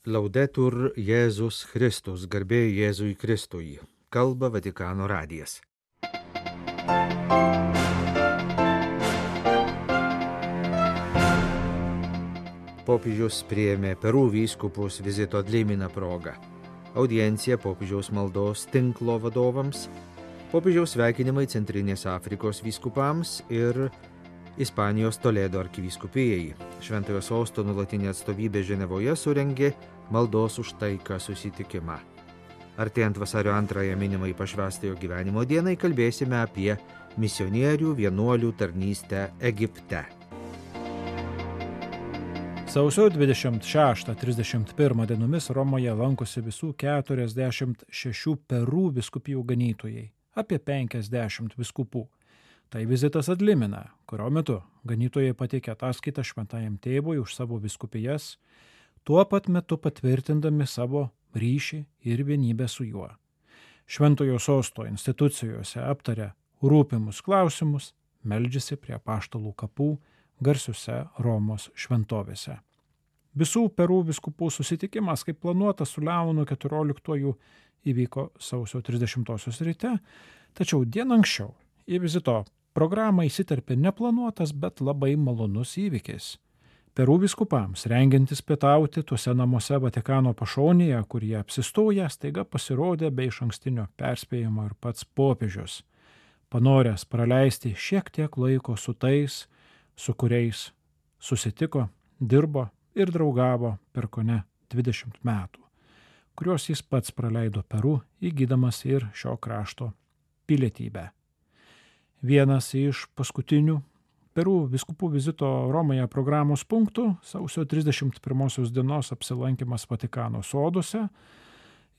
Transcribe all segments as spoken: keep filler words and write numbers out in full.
Laudetur Jėzus Kristus, garbė Jėzui Kristui. Kalba Vatikano radijas. Popiežius priėmė Peru vyskupus vizito Dlimina proga. Audiencija popiežiaus maldos tinklo vadovams, popiežiaus sveikinimai Centrinės Afrikos vyskupams ir Ispanijos Toledo arkivyskupijai. Šventojo sosto nuolatinė atstovybė Ženevoje surengė maldos už taiką susitikimą. Artėjant vasario antrąją minimai pašvęstojo gyvenimo dienai kalbėsime apie misionierių vienuolių tarnystę Egipte. Sausio dvidešimt šeštą trisdešimt pirmą dienomis Romoje lankosi visų keturiasdešimt šešių Peru vyskupijų ganytojai, apie penkiasdešimt vyskupų. Tai vizitas Adlimina, kurio metu ganytojai pateikė ataskaitą šventajam tėvui už savo vyskupijas, tuo pat metu patvirtindami savo ryšį ir vienybę su juo. Šventojo sosto institucijose aptarė rūpimus klausimus, meldžiasi prie apaštalų kapų garsiuose Romos šventovėse. Visų Peru vyskupų susitikimas, kaip planuota su Leonu keturioliktuoju, įvyko sausio trisdešimtosios ryte, tačiau dieną anksčiau į vizito programą įsiterpė neplanuotas, bet labai malonus įvykis. Peru vyskupams, rengiantis pietauti tuose namuose Vatikano pašonėje, kur jie apsistoja, staiga pasirodė be išankstinio perspėjimo ir pats popiežius, panoręs praleisti šiek tiek laiko su tais, su kuriais susitiko, dirbo ir draugavo per kone dvidešimt metų, kuriuos jis pats praleido Peru, įgydamas ir šio krašto pilietybę. Vienas iš paskutinių Peru vyskupų vizito Romoje programos punktų sausio trisdešimt pirmosios dienos apsilankymas Vatikano soduose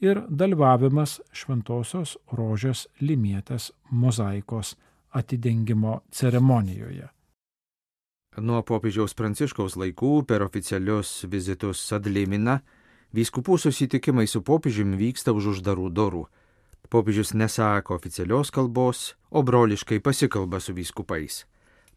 ir dalyvavimas Šventosios Rožės Limietės mozaikos atidengimo ceremonijoje. Nuo popiežiaus Pranciškaus laikų per oficialius vizitus Adlimina vyskupų susitikimai su popiežiumi vyksta už uždarų durų. Popiežius nesako oficialios kalbos, o broliškai pasikalba su vyskupais.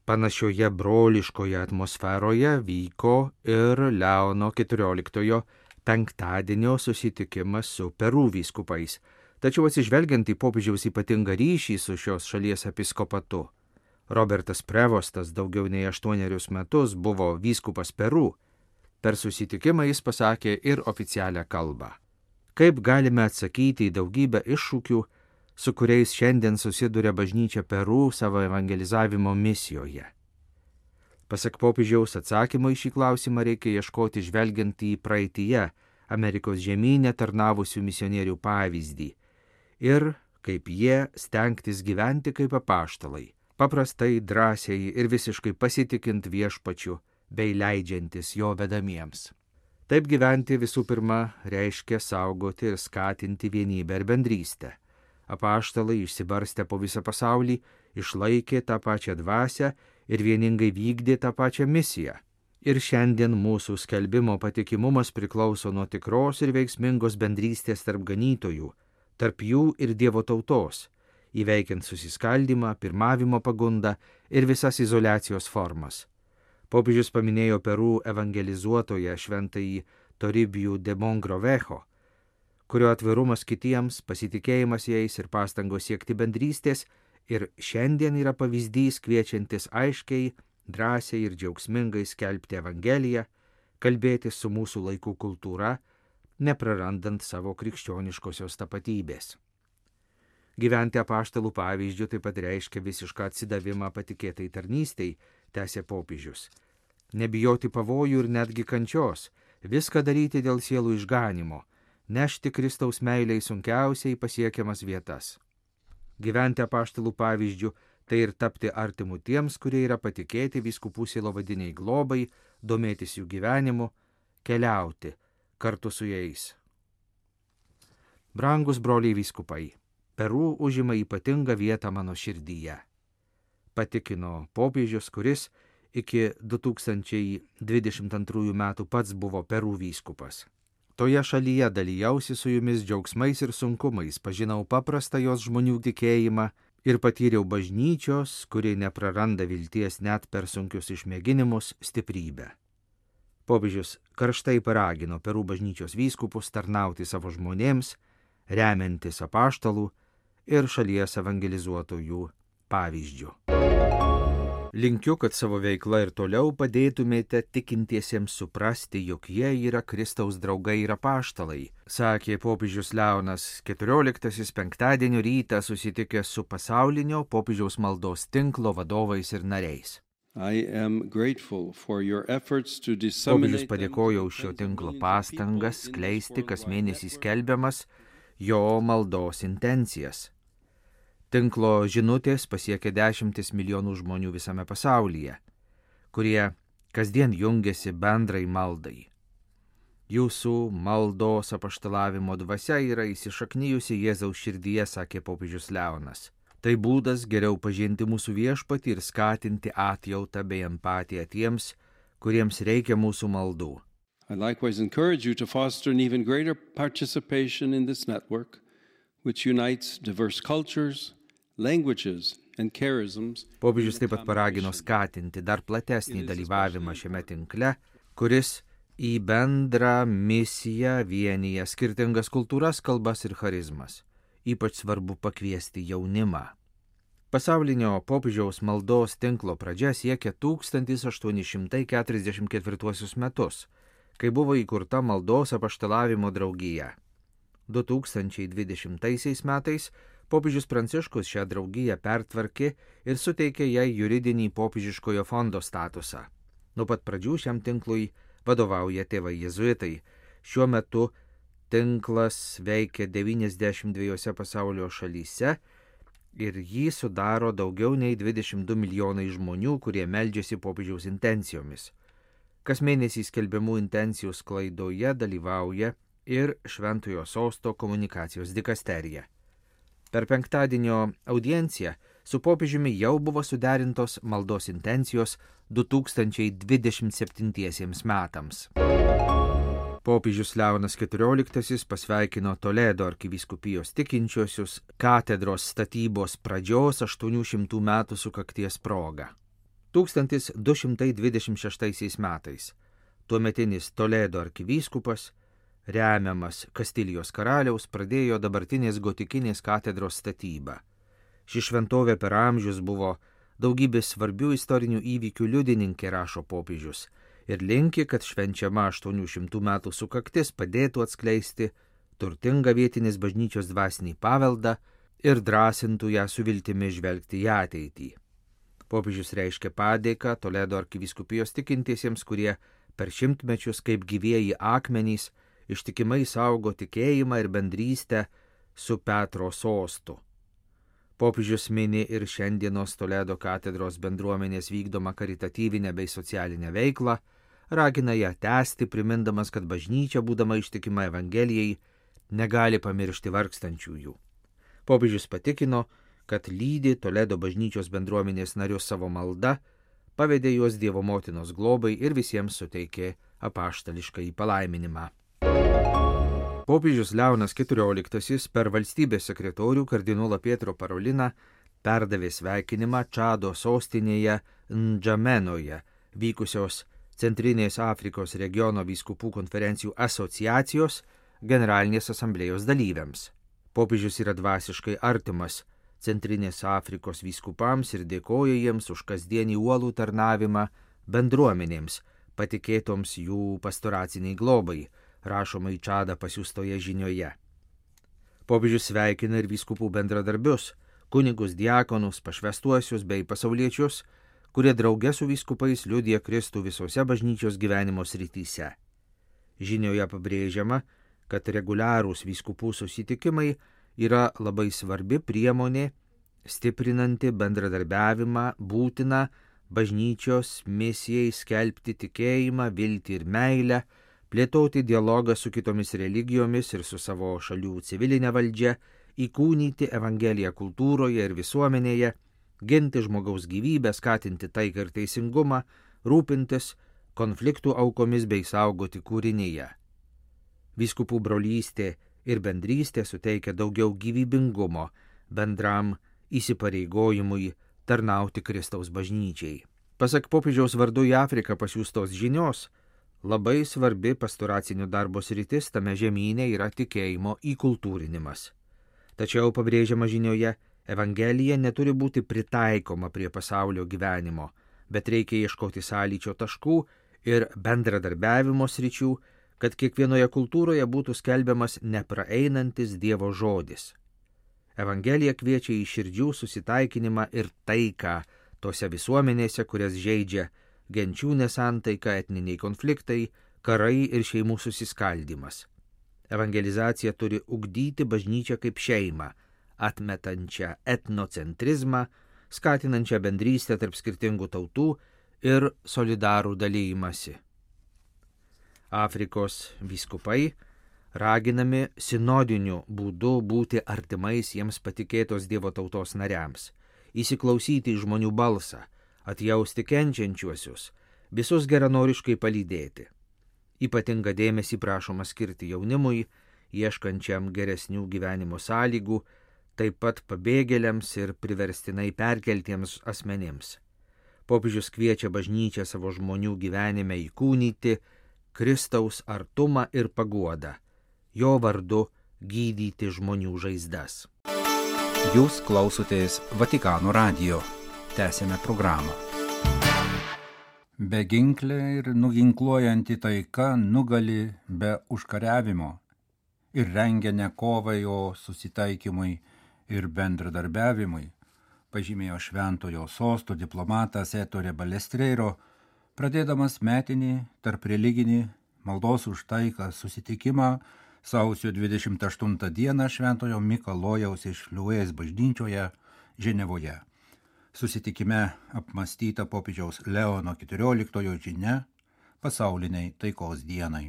Panašioje broliškoje atmosferoje vyko ir Leono keturioliktojo penktadienio susitikimas su Peru vyskupais. Tačiau atsižvelgiant į popiežiaus ypatingą ryšį su šios šalies episkopatu, Robertas Prevostas daugiau nei aštuonerius metus buvo vyskupas Peru. Per susitikimą jis pasakė ir oficialią kalbą. Kaip galime atsakyti į daugybę iššūkių, su kuriais šiandien susiduria bažnyčia Peru savo evangelizavimo misijoje? Pasak popiežiaus, atsakymo į šį klausimą reikia ieškoti žvelgiant į praeityje Amerikos žemyne tarnavusių misionierių pavyzdį ir kaip jie stengtis gyventi kaip apaštalai, paprastai, drąsiai ir visiškai pasitikint viešpačiu bei leidžiantis jo vedamiems. Taip gyventi visų pirma reiškia saugoti ir skatinti vienybę ir bendrystę. Apaštalai išsibarstę po visą pasaulį išlaikė tą pačią dvasią ir vieningai vykdė tą pačią misiją. Ir šiandien mūsų skelbimo patikimumas priklauso nuo tikros ir veiksmingos bendrystės tarp ganytojų, tarp jų ir Dievo tautos, įveikiant susiskaldymą, pirmavimo pagundą ir visas izoliacijos formas. Popiežius paminėjo Peru evangelizuotoją šventąjį Toribijų de Mogrovejo, kurio atvirumas kitiems, pasitikėjimas jais ir pastangos siekti bendrystės ir šiandien yra pavyzdys kviečiantis aiškiai, drąsiai ir džiaugsmingai skelbti evangeliją, kalbėtis su mūsų laikų kultūra, neprarandant savo krikščioniškosios tapatybės. Gyventi apaštalų pavyzdžių taip pat reiškia visišką atsidavimą patikėtai tarnystei, tęsė popiežius. Nebijoti pavojų ir netgi kančios, viską daryti dėl sielų išganimo, nešti Kristaus meiliai sunkiausiai pasiekiamas vietas. Gyventi apaštalų pavyzdžių tai ir tapti artimu tiems, kurie yra patikėti vyskupų sielovadiniai globai, domėtis jų gyvenimu, keliauti kartu su jais. Brangus broliai vyskupai, Peru užima ypatingą vietą mano širdyje, patikino popiežius, kuris iki du tūkstančiai dvidešimt antrųjų metų pats buvo Peru vyskupas. Toje šalyje dalyjausi su jumis džiaugsmais ir sunkumais, pažinau paprastą jos žmonių tikėjimą ir patyriau bažnyčios, kuri nepraranda vilties net per sunkius išmėginimus, stiprybę. Popiežius karštai paragino Perų bažnyčios vyskupus tarnauti savo žmonėms, remiantis apaštalų ir šalies evangelizuotojų pavyzdžių. Linkiu, kad savo veikla ir toliau padėtumėte tikintiesiems suprasti, jog jie yra Kristaus draugai ir apaštalai, sakė popiežius Leonas keturioliktasis penktadienio rytą susitikęs su pasaulinio popiežiaus maldos tinklo vadovais ir nariais. Popiežius padėkojo už šio tinklo pastangas skleisti kas mėnesį skelbiamas jo maldos intencijas. Tinklo žinutės pasiekia dešimtis milijonų žmonių visame pasaulyje, kurie kasdien jungiasi bendrai maldai. Jūsų maldos apaštalavimo dvasia yra įsišaknijusi Jėzaus širdyje, sakė popiežius Leonas. Tai būdas geriau pažinti mūsų viešpatį ir skatinti atjautą bei empatiją tiems, kuriems reikia mūsų maldų. I likewise encourage you to foster an even greater participation in this network, which unites diverse cultures, languages and charisms. Popiežius taip pat paragino skatinti dar platesnį dalyvavimą šiame tinkle, kuris į bendrą misiją vienyje skirtingas kultūras, kalbas ir charizmas. Ypač svarbu pakviesti jaunimą. Pasaulinio popiežiaus maldos tinklo pradžia siekia tūkstantis aštuoni šimtai keturiasdešimt ketvirtuosius metus, kai buvo įkurta maldos apaštalavimo draugija. du tūkstančiai dvidešimtaisiais metais popiežius Pranciškus šią draugiją pertvarkė ir suteikė jai juridinį popiežiškojo fondo statusą. Nuo pat pradžių šiam tinklui vadovauja tėvai jėzuitai. Šiuo metu tinklas veikia devyniasdešimt dviejose pasaulio šalyse ir jį sudaro daugiau nei dvidešimt du milijonai žmonių, kurie meldžiasi popiežiaus intencijomis. Kas mėnesį skelbiamų intencijų sklaidoje dalyvauja ir Šventojo sosto komunikacijos dikasterija. Per penktadienio audienciją su popiežiumi jau buvo suderintos maldos intencijos du tūkstančiai dvidešimt septintiesiems metams. Popiežius Leonas keturioliktasis pasveikino Toledo arkivyskupijos tikinčiuosius katedros statybos pradžios aštuonių šimtų metų sukakties proga. tūkstantis du šimtai dvidešimt šeštaisiais metais tuometinis Toledo arkivyskupas, remiamas Kastilijos karaliaus, pradėjo dabartinės gotikinės katedros statybą. Ši šventovė per amžius buvo daugybės svarbių istorinių įvykių liudininkė, rašo popiežius, ir linki, kad švenčiama aštuonių šimtų metų sukaktis padėtų atskleisti turtingą vietinės bažnyčios dvasinį paveldą ir drąsintų ją su viltimi žvelgti į ateitį. Popiežius reiškia padėką Toledo arkivyskupijos tikintiesiems, kurie per šimtmečius kaip gyvieji akmenys ištikimai saugo tikėjimą ir bendrystę su Petro sostu. Popiežius mini ir šiandienos Toledo katedros bendruomenės vykdomą karitatyvinę bei socialinę veiklą, ragina ją tęsti, primindamas, kad bažnyčia, būdama ištikima Evangelijai, negali pamiršti vargstančiųjų. Popiežius patikino, kad lydi Toledo bažnyčios bendruomenės narius savo malda, pavedė juos Dievo motinos globai ir visiems suteikė apaštališkąjį palaiminimą. Popiežius Leonas keturioliktasis per valstybės sekretorių kardinolą Pietro Paroliną perdavė sveikinimą Čado sostinėje Ndžamenoje vykusios Centrinės Afrikos regiono vyskupų konferencijų asociacijos generalinės asamblėjos dalyviams. Popiežius yra dvasiškai artimas Centrinės Afrikos vyskupams ir dėkoja jiems už kasdienį uolų tarnavimą bendruomenėms, patikėtoms jų pastoraciniai globai, rašoma į Čadą pasiųstoje žinioje. Popiežius sveikina ir vyskupų bendradarbius, kunigus, diakonus, pašvestuosius bei pasauliečius, kurie drauge su vyskupais liudija Kristų visose bažnyčios gyvenimo srityse. Žinioje pabrėžiama, kad reguliarūs vyskupų susitikimai yra labai svarbi priemonė, stiprinanti bendradarbiavimą, būtina bažnyčios misijai skelbti tikėjimą, viltį ir meilę, plėtoti dialogą su kitomis religijomis ir su savo šalių civilinė valdžia, įkūnyti Evangeliją kultūroje ir visuomenėje, ginti žmogaus gyvybę, skatinti taiką ir teisingumą, rūpintis konfliktų aukomis bei saugoti kūrinyje. Vyskupų brolystė ir bendrystė suteikia daugiau gyvybingumo bendram įsipareigojimui tarnauti Kristaus bažnyčiai. Pasak popiežiaus vardu į Afriką pasiųstos žinios, Labai svarbi pastoracinio darbo sritis tame žemyne yra tikėjimo įkultūrinimas. Tačiau pabrėžiama žinioje, Evangelija neturi būti pritaikoma prie pasaulio gyvenimo, bet reikia ieškoti sąlyčio taškų ir bendradarbiavimo sričių, kad kiekvienoje kultūroje būtų skelbiamas nepraeinantis Dievo žodis. Evangelija kviečia į širdžių susitaikinimą ir taiką tose visuomenėse, kurias žeidžia genčių nesantaika, etniniai konfliktai, karai ir šeimų susiskaldimas. Evangelizacija turi ugdyti bažnyčią kaip šeimą, atmetančią etnocentrizmą, skatinančią bendrystę tarp skirtingų tautų ir solidarų dalymasi. Afrikos vyskupai raginami sinodiniu būdu būti artimais jiems patikėtos Dievo tautos nariams, įsiklausyti į žmonių balsą, atjausti kenčiančiuosius, visus geranoriškai palydėti. Ypatingą dėmesį prašoma skirti jaunimui, ieškančiam geresnių gyvenimo sąlygų, taip pat pabėgėliams ir priverstinai perkeltiems asmenims. Popiežius kviečia bažnyčią savo žmonių gyvenime įkūnyti Kristaus artumą ir paguodą, jo vardu gydyti žmonių žaizdas. Jūs klausotės Vatikano radijo. Tęsėme programą. Beginklė ir nuginkluojanti taika nugali be užkariavimo ir rengia ne kovai, o susitaikymui ir bendradarbiavimui, pažymėjo Šventojo Sosto diplomatas Ettore Balestrero, pradėdamas metinį tarp religinį maldos už taiką susitikimą sausio dvidešimt aštuntą dieną Šventojo Mikalojaus iš Liuės bažnyčioje Ženevoje. Susitikime apmąstyta popiežiaus Leono keturioliktojo žinia pasauliniai taikos dienai.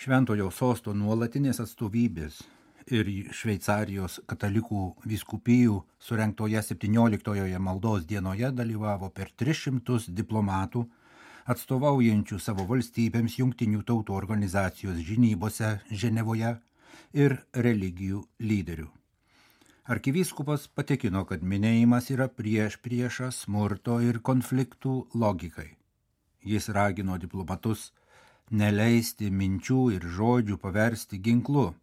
Šventojo Sosto nuolatinės atstovybės ir Šveicarijos katalikų vyskupijų surengtoje septynioliktojoje maldos dienoje dalyvavo per tris šimtus diplomatų, atstovaujančių savo valstybėms Jungtinių tautų organizacijos žinybose Ženevoje ir religijų lyderių. Arkivyskupas patikino, kad minėjimas yra prieš priešą smurto ir konfliktų logikai. Jis ragino diplomatus neleisti minčių ir žodžių paversti ginklu,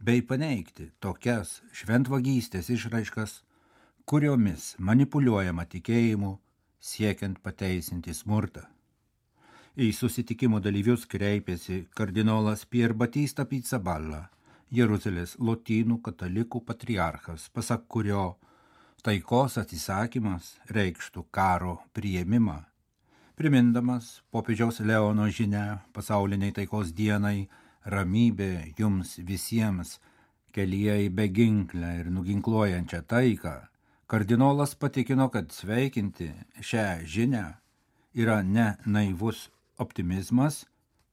bei paneigti tokias šventvagystės išraiškas, kuriomis manipuliuojama tikėjimu, siekiant pateisinti smurtą. Į susitikimo dalyvius kreipėsi kardinolas Pier Battista Pizzaballa, Jeruzalės lotynų katalikų patriarchas, pasak kurio taikos atsisakymas reikštų karo priėmimą. Primindamas popiežiaus Leono žinią pasauliniai taikos dienai ramybė jums visiems kelyje į beginklę ir nuginkluojančią taiką, kardinolas patikino, kad sveikinti šią žinią yra ne naivus optimizmas,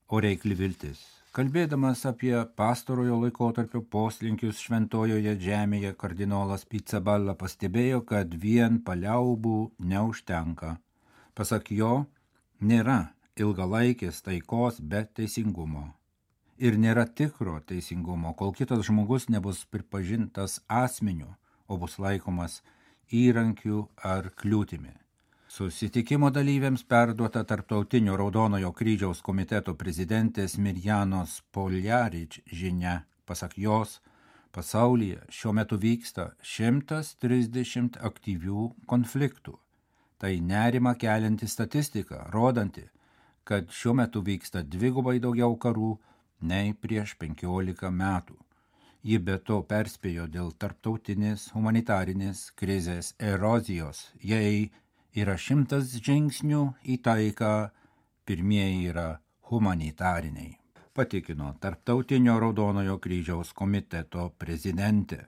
o reikli viltis. Kalbėdamas apie pastarojo laikotarpio poslinkius šventojoje žemėje, kardinolas Pizzaballa pastebėjo, kad vien paliaubų neužtenka. Pasak jo, nėra ilgalaikės taikos be teisingumo. Ir nėra tikro teisingumo, kol kitas žmogus nebus pripažintas asmeniu, o bus laikomas įrankiu ar kliūtimi. Susitikimo dalyviams perduota Tarptautinio Raudonojo kryžiaus komiteto prezidentės Mirjanos Poljarič žinia. Pasak jos, pasaulyje šiuo metu vyksta šimtas trisdešimt aktyvių konfliktų. Tai nerimą kelianti statistika, rodanti, kad šiuo metu vyksta dvigubai daugiau karų nei prieš penkiolika metų. Ji be to perspėjo dėl tarptautinės humanitarinės krizės erozijos, jei yra šimtas žingsnių į taiką, pirmieji yra humanitariniai, patikino Tarptautinio Raudonojo kryžiaus komiteto prezidentė.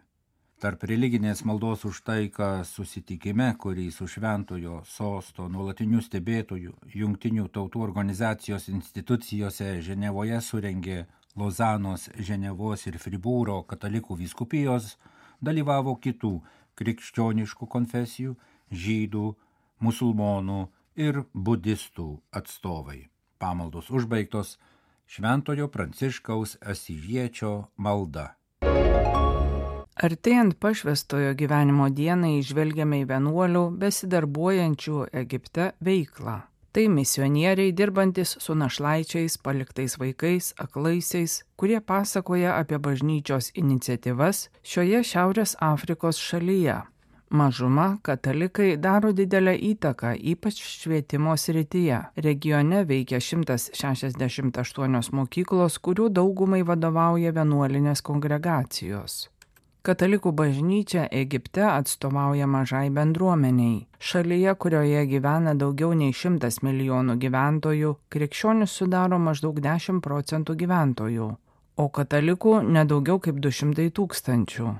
Tarp religinės maldos už taiką susitikime, kurį su Šventojo Sosto nuolatiniu stebėtoju Jungtinių tautų organizacijos institucijose Ženevoje surengė Lozanos, Ženevos ir Fribūro katalikų vyskupijos, dalyvavo kitų krikščioniškų konfesijų, žydų, musulmonų ir budistų atstovai. Pamaldos užbaigtos Šventojo Pranciškaus Asyžiečio malda. Artėjant pašvęstojo gyvenimo dienai žvelgiame į vienuolių besidarbuojančių Egipte veiklą. Tai misionieriai dirbantis su našlaičiais, paliktais vaikais, aklaisiais, kurie pasakoja apie bažnyčios iniciatyvas šioje Šiaurės Afrikos šalyje. Mažuma katalikai daro didelę įtaką, ypač švietimo srityje. Regione veikia šimtas šešiasdešimt aštuonios mokyklos, kurių daugumai vadovauja vienuolinės kongregacijos. Katalikų bažnyčia Egipte atstovauja mažai bendruomeniai. Šalyje, kurioje gyvena daugiau nei šimtas milijonų gyventojų, krikščionis sudaro maždaug dešimt procentų gyventojų, o katalikų nedaugiau kaip du šimtai tūkstančių.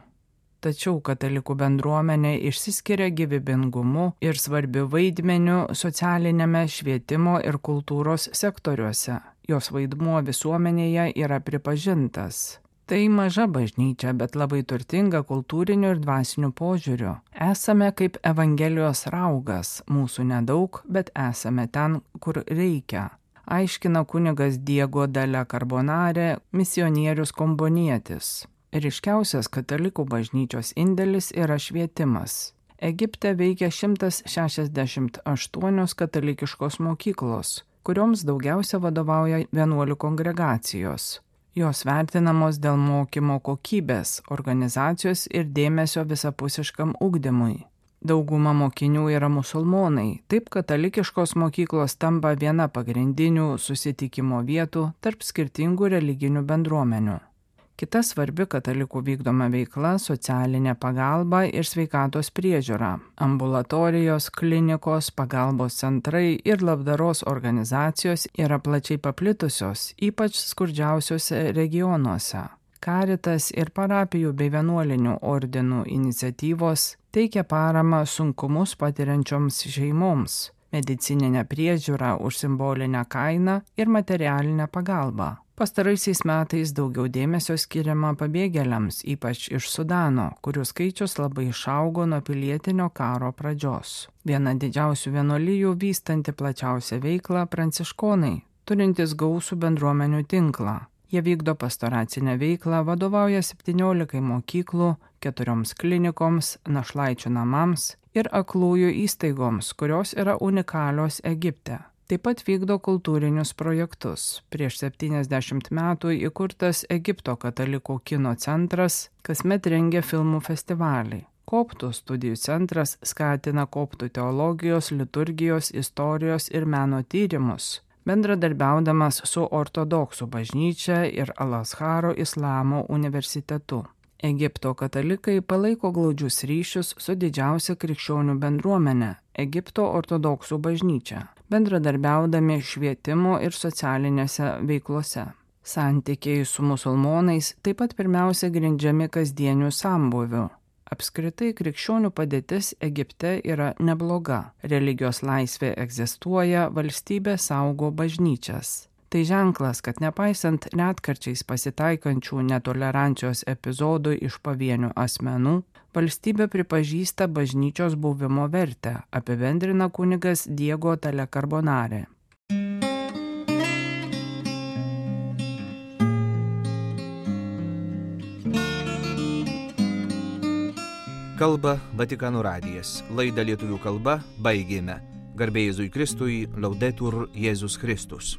Tačiau katalikų bendruomenė išsiskiria gyvybingumu ir svarbiu vaidmeniu socialinėme švietimo ir kultūros sektoriuose. Jos vaidmuo visuomenėje yra pripažintas. Tai maža bažnyčia, bet labai turtinga kultūriniu ir dvasiniu požiūriu. Esame kaip Evangelijos raugas, mūsų nedaug, bet esame ten, kur reikia. Aiškina kunigas Diego Della Carbonare, misionierius kombonietis. Ryškiausias katalikų bažnyčios indėlis yra švietimas. Egipte veikia šimtas šešiasdešimt aštuonios katalikiškos mokyklos, kurioms daugiausia vadovauja vienuolių kongregacijos. Jos vertinamos dėl mokymo kokybės, organizacijos ir dėmesio visapusiškam ugdymui. Dauguma mokinių yra musulmonai, taip katalikiškos mokyklos tampa viena pagrindinių susitikimo vietų tarp skirtingų religinių bendruomenių. Kita svarbi katalikų vykdoma veikla – socialinė pagalba ir sveikatos priežiūra. Ambulatorijos, klinikos, pagalbos centrai ir labdaros organizacijos yra plačiai paplitusios, ypač skurdžiausiuose regionuose. Karitas ir parapijų bei vienuolinių ordinų iniciatyvos teikia paramą sunkumus patiriančioms šeimoms, medicininę priežiūrą už simbolinę kainą ir materialinę pagalbą. Pastaraisiais metais daugiau dėmesio skiriama pabėgėliams, ypač iš Sudano, kurių skaičius labai išaugo nuo pilietinio karo pradžios. Viena didžiausių vienuolijų vystanti plačiausią veiklą pranciškonai, turintys gausų bendruomenių tinklą. Jie vykdo pastoracinę veiklą, vadovauja septyniolikai mokyklų, keturioms klinikoms, našlaičių namams ir aklųjų įstaigoms, kurios yra unikalios Egipte. Taip pat vykdo kultūrinius projektus. Prieš septyniasdešimt metų įkurtas Egipto katalikų kino centras, kasmet rengia filmų festivalį. Koptų studijų centras skatina koptų teologijos, liturgijos, istorijos ir meno tyrimus, bendradarbiaudamas su ortodoksų bažnyčia ir Al-Azharo islamo universitetu. Egipto katalikai palaiko glaudžius ryšius su didžiausia krikščionių bendruomenė – Egipto ortodoksų bažnyčia, bendradarbiaudami švietimo ir socialinėse veiklose. Santykiai su musulmonais taip pat pirmiausia grindžiami kasdieniu sambūviu. Apskritai krikščionių padėtis Egipte yra nebloga. Religijos laisvė egzistuoja, valstybė saugo bažnyčias. Tai ženklas, kad nepaisant retkarčiais pasitaikančių netolerancijos epizodų iš pavienių asmenų, valstybė pripažįsta bažnyčios buvimo vertę, apibendrina kunigas Diego Della Carbonare. Kalba Vatikano radijas. Laidą lietuvių kalba baigėme. Garbė Jėzui Kristui, Laudetur Jėzus Kristus.